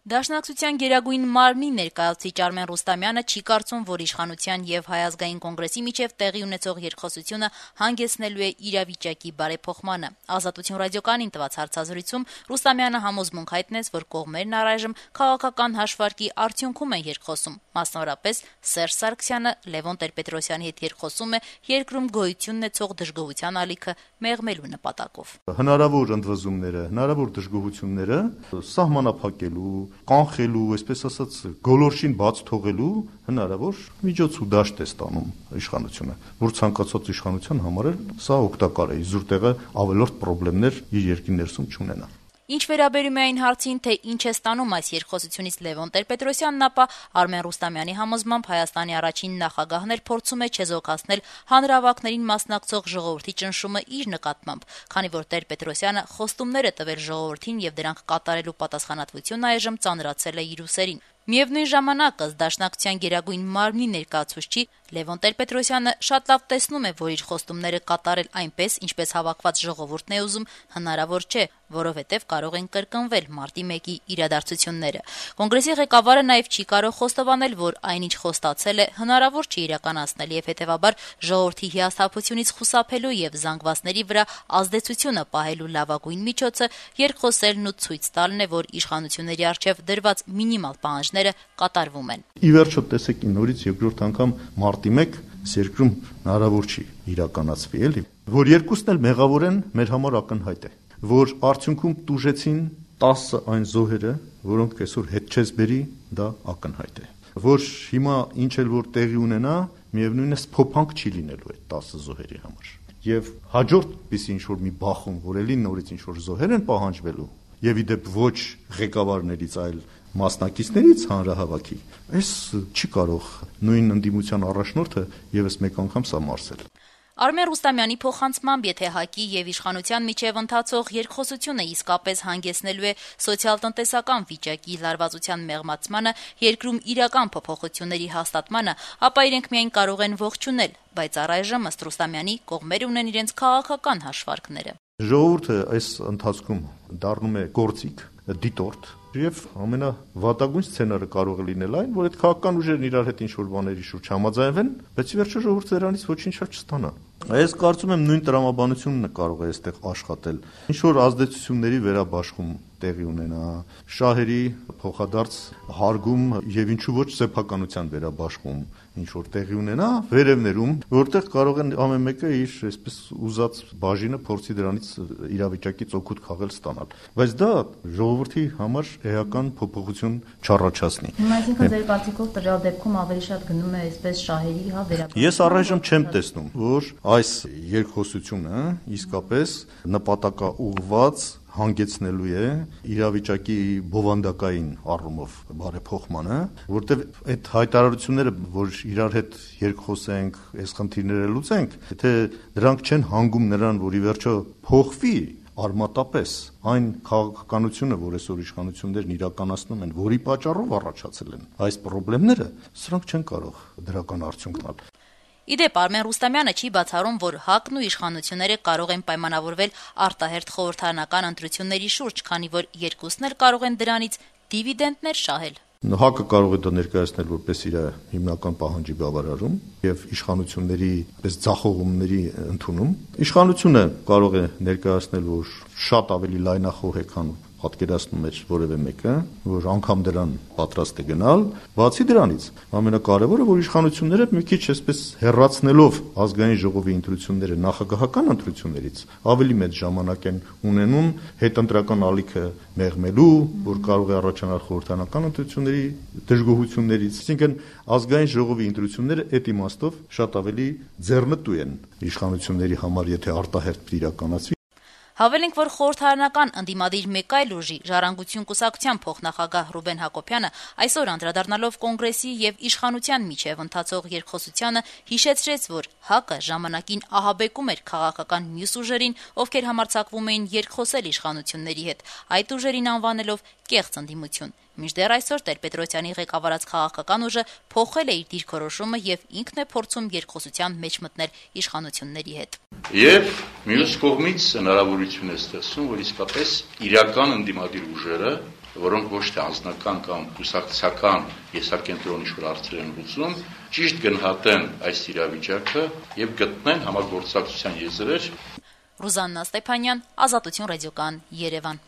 Դաշնակցության գերագույն մարմնի ներկայացուցիչ Արմեն Ռուստամյանը չի կարծում, որ իշխանության եւ Հայ ազգային կոնգրեսի միջեւ տեղի ունեցող երկխոսությունը հանգեցնելու է իրավիճակի բարեփոխմանը։ Ազատություն ռադիոկայանին տված հարցազրույցում Ռուստամյանը համոզմունք հայտնեց, որ կողմերն առայժմ քաղաքական հաշվարկի արդյունքում են երկխոսում։ Մասնավորապես Սերժ Սարգսյանը Լևոն Տեր-Պետրոսյանի հետ երկխոսում է երկրում գոյություն ունեցող դժգոհության ալիքը մեղմելու նպատակով։ Հնարավոր ընդվզումները, հնարավոր դժգոհությունները սահմանափակելու, կանխելու, այսպես ասած, գոլորշին բաց թողելու հնարավոր միջոց ու դաշտ է ստանում իշխանությունը, որ ցանկացած իշխանության համար սա օգտակար է, իզուր տեղը ավելորդ խնդիրներ իր երկրի ներսում չունենա։ Ինչ վերաբերում է այն հարցին, թե ինչ է ստանում այս երկխոսությունից Լևոն Տեր-Պետրոսյանն, ապա Արմեն Ռուստամյանի համոզմամբ Հայաստանի առաջին նախագահն էլ փորձում է չեզոքացնել հանրահավաքներին մասնակցող ժողովրդի ճնշումը իր նկատմամբ, քանի որ Տեր-Պետրոսյանը խոստումներ է տվել ժողովրդին եւ դրանք կատարելու պատասխանատվությունը այժմ ծանրացել է իր ուսերին։ Միևնույն ժամանակ, ըստ Դաշնակցության գերագույն մարմնի ներկայացուցչի, Լևոն Տեր-Պետրոսյանը շատ լավ տեսնում է, որ իր խոստումները կատարել այնպես, ինչպես հավաքված ժողովուրդն է ուզում, հնարավոր չէ, որովհետև կարող են կրկնվել մարտի 1-ի իրադարձությունները։ Կոնգրեսի ղեկավարը նաև չի կարող խոստովանել, որ այնինչ խոստացել է, հնարավոր չէ իրականացնել եւ հետեւաբար ժողովրդի հիասթափությունից խուսափելու եւ զանգվածների վրա ազդեցությունը պահելու լավագույն միջոցը երկխոսելն ու ցույց տալն է, որ իշխանությունների առջեւ դրված մինիմալ պահանջները կատարվում են։ Ի վերջո տեսեք նորից երկրորդ անգամ մարտի 1 երկրում հնարավոր չի իրականացվի, էլի, որ երկուսն էլ մեղավոր են, մեր համար ակնհայտ է, որ արդյունքում տուժեցին 10 այն զոհերը, որոնք այսօր հետ չես բերի, դա ակնհայտ է, որ հիմա ինչ էլ որ տեղի ունենա, միևնույն է փոփանք չի լինելու այդ 10 զոհերի համար։ Եվ հաջորդ պիսի ինչ որ մի բախում, որ էլի նորից ինչ որ զոհեր են պահանջվելու, եւ իդեպ ոչ ղեկավարներից, այլ մասնակիցներից հանրահավաքի, այս չի կարող նույն ընդդիմության առաջնորդը եւս մեկ անգամ սա մարսել։ Արմեն Ռուստամյանի փոխանցմամբ, եթե ՀԱԿ-ի եւ իշխանության միջև ընթացող երկխոսությունը իսկապես հանգեցնելու է սոցիալ-տնտեսական վիճակի լարվածության մեղմացմանը, երկրում իրական փոփոխությունների հաստատմանը, ապա իրենք միայն կարող են ողջունել, բայց առայժմ ըստ Ռուստամյանի կողմերը ունեն իրենց քաղաքական հաշվարկները։ Ժողովուրդը այս ընթացքում դառնում է գործիք, դիտորդ, եւ ամենավատագույն սցենարը կարող է լինել այն, որ այդ քաղաքական ուժերն իրար հետ ինչ-որ բաների շուրջ համաձայնվեն, բայց ի վերջո ժողովուրդը դրանից ոչինչ չստանա։ Ես կարծում եմ նույն տրամաբանությունն կարող է այստեղ աշխատել։ Ինչ-որ ազդեցությունների վերաբաշխում տեղի ունենա, շահերի փոխադարձ հարգում եւ ինչու ոչ սեփականության վերաբաշխում ինչ-որ տեղի ունենա վերևներում, որտեղ կարող են ամեն մեկը իր այսպես ուզած բաժինը փորձի դրանից իրավիճակից օգուտ քաղել ստանալ։ Բայց դա ժողովրդի համար էական փոփոխություն չառաջացնի։ Այսինքն ձեր կարծիքով տվյալ դեպքում ավելի շատ գնում է այսպես շահերի վերաբերյալ։ Ես առայժմ չեմ տեսնում, որ այս երկխոսությունը իսկապես նպատակաուղղված հանգեցնելու է իրավիճակի բովանդակային առումով բարեփոխմանը, որտեղ այդ հայտարարությունները, որ իրար հետ երկխոսենք, այս խնդիրները լուծենք, եթե դրանք չեն հանգում նրան, որ ի վերջո փոխվի արմատապես այն քաղաքականությունը, որ այսօր իշխանություններն իրականացնում են, որի պատճառով առաջացել են այս խնդիրները, սրանք չեն կարող դրական արդյունք տալ։ Իդեպ Արմեն Ռուստամյանը չի բացառում, որ ՀԱԿ-ն ու իշխանությունները կարող են պայմանավորվել արտահերթ խորհրդարանական ընտրությունների շուրջ, քանի որ երկուսն էլ կարող են դրանից դիվիդենդներ շահել։ ՀԱԿ-ը կարող է դա ներկայացնել որպես իր հիմնական պահանջի բավարարում եւ իշխանությունների պես ձախողումների ընդունում։ Իշխանությունը կարող է ներկայացնել, որ շատ ավելի լայնախոհ է, քան պատկերացնում էր որևէ մեկը, որ անգամ դրան պատրաստ է գնալ։ Բացի դրանից, ամենակարևորը, որ իշխանությունները մի քիչ այսպես հեռացնելով ազգային ժողովի ընտրությունները նախագահական ընտրություններից, ավելի մեծ ժամանակ են ունենում հետընտրական ալիքը մեղմելու, որ կարող է առաջանալ խորհրդարանական ընտրությունների դժգոհություններից։ Այսինքն ազգային ժողովի ընտրությունները այդ իմաստով շատ ավելի ձեռնտու են իշխանությունների համար, եթե արտահերթ իրականացվի։ Հավելենք, որ խորհրդարանական ընդդիմադիր մեկ այլ ուժի Ժառանգություն կուսակցության փոխնախագահ Ռուբեն Հակոբյանը այսօր անդրադառնալով կոնգրեսի եւ իշխանության միջև ընթացող երկխոսությանը հիշեցրեց, որ ՀԱԿ-ը ժամանակին ահաբեկում էր քաղաքական մյուս ուժերին, ովքեր համարձակվում էին երկխոսել իշխանությունների հետ, այդ ուժերին անվանելով կեղծ ընդդիմություն։ Մինչդեռ այսօր Տեր-Պետրոսյանի ղեկավարած քաղաքական ուժը փոխել է իր դիրքորոշումը եւ ինքն է փորձում երկխոսության մեջ մտնել իշխանությունների հետ։ Եվ մյուս կողմից հնարավորություն է ստեղծում, որ իսկապես իրական ընդդիմադիր ուժերը որոնք ոչ թե անձնական կամ կուսակցական եսակենտրոնի շուր հարցեր են լուծում, ճիշտ գնահատեն այս իրավիճակը եւ գտնեն համագործակցության եզրեր։ Ռուզաննա Ստեփանյան, Ազատություն ռադիոկայան, Երևան։